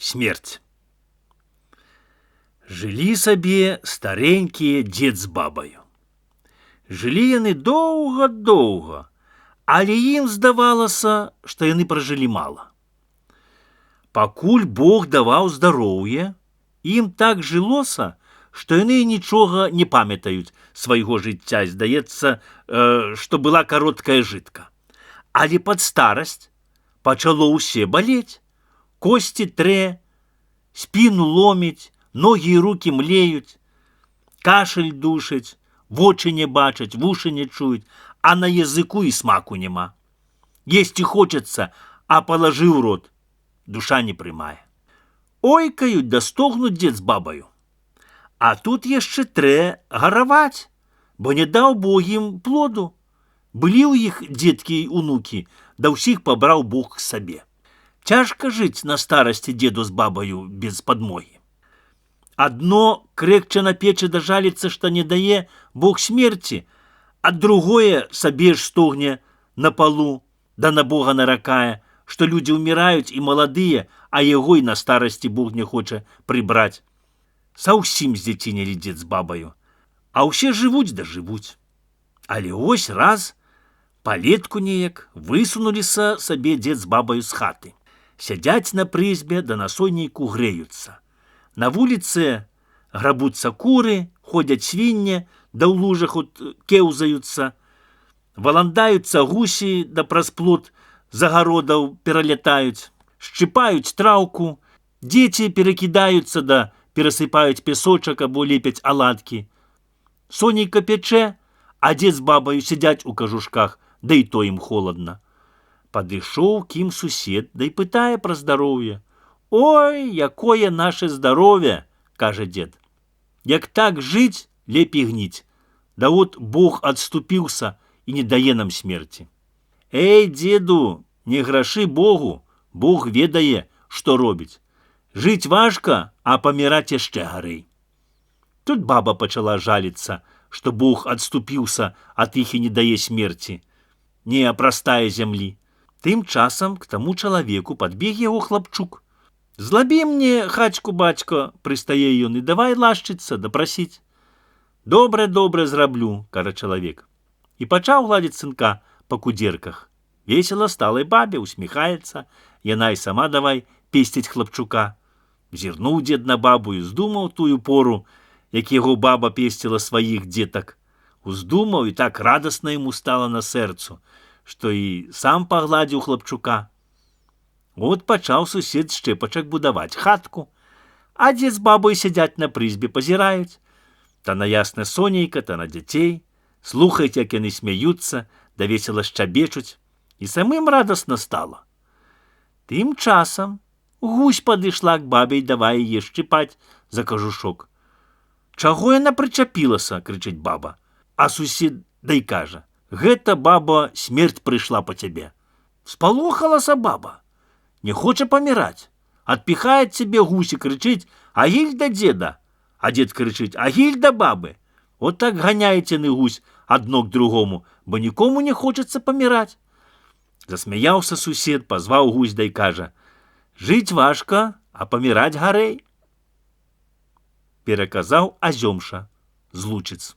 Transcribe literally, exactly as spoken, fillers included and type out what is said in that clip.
Смерть. Жылі сабе старенькія дзед з бабаю. Жылі яны доўга-доўга, але ім здавалася, што яны пражылі мала. Пакуль Бог даваў здароўе, ім так жылося, што яны нічога не памятаюць свайго жыцця, здаецца, э, што была кароткая жытка. Але пад старасць пачало ўсе балець. Косці трэ, спіну ломіць, ногі і рукі млеюць, кашель душыць, вочы не бачаць, вушы не чуюць, а на языку і смаку няма. Есці хочацца, а палажыў рот, душа не прымае. Ойкаюць да стогнуць дзед з бабаю. А тут яшчэ трэ гараваць, бо не даў Бог ім плоду. Былі ў іх дзеткі і унукі, да ўсіх пабраў Бог к сабе. Цяжка жыць на старасці дзеду з бабаю без падмогі. Адно крэкча на печы да жаліцца, што не дае Бог смерці, а другое сабе ж стогне на палу, да на Бога наракае, што людзі ўміраюць і маладыя, а яго і на старасці Бог не хоча прыбраць. Саўсім здзецінелі дзед з бабаю, а ўсе жывуць да жывуць. Але ось раз палетку неяк высунуліся сабе дзед з бабаю з хаты. Сядзяць на прызбе, да на сонейку грэюцца. На вуліцы грабуцца куры, ходзяць свінне, да ў лужах от кеўзаюцца. Валандаюцца гусі, да праз плот загародаў пералятаюць. Шчыпаюць траўку, дзеці перакідаюцца, да перасыпаюць песочак або лепяць аладкі. Сонейка пячэ, а дзед з бабаю сядзяць у кажушках, да і то ім холадна. Падышоў к ім сусед, да і пытае пра здароўе. «Ой, якое наше здароўе!» – кажа дзед. «Як так жыць, лепей гніць. Да от Бог адступіўся і не дае нам смерці». «Эй, дзеду, не грашы Богу, Бог ведае, што робіць. Жыць важка, а паміраць яшчэ гарэй». Тут баба пачала жаліцца, што Бог адступіўся ад іх і не дае смерці. Не апрастае зямлі. Тым часам к таму чалавеку падбег яго хлапчук. «Злабі мне хачку, бацько», – прыстае ён, – «і давай лашчыцца, дапрасіць». «Добра, добра зраблю», – кажа чалавек. І пачаў гладзіць сынка па кудзерках. Весела сталай бабе, усміхаецца, яна і сама давай песціць хлапчука. Зірнуў дзед на бабу і здумаў тую пору, як яго баба песціла сваіх дзетак. Уздумаў, і так радасна яму стала на сэрцу, што і сам пагладзіў хлапчука. От пачаў сусед шчэпачак будаваць хатку, а дзед з бабой сядзяць на прызбе, пазіраюць. Та на ясна сонейка, та на дзяцей, слухаюць, як яны смяюцца, да весела шчабечуць, і самым радасна стала. Тым часам гусь падышла к бабе і давай яе шчыпаць за кажушок. «Чаго яна прычапілася?» – крычыць баба. А сусед да й кажа: «Гэта, баба, смерць прыйшла па цябе». Спалохалася баба, не хоча паміраць. Адпіхае цябе гусь і крычыць: «Агіль да дзеда!» А дзед крычыць: «Агіль да бабы!» От так ганяеце яны гусь адно к другому, бо нікому не хочацца паміраць. Засмяяўся сусед, пазваў гусь да й кажа: «Жыць важка, а паміраць гарэй». Пераказаў Азёмша з Лучыц.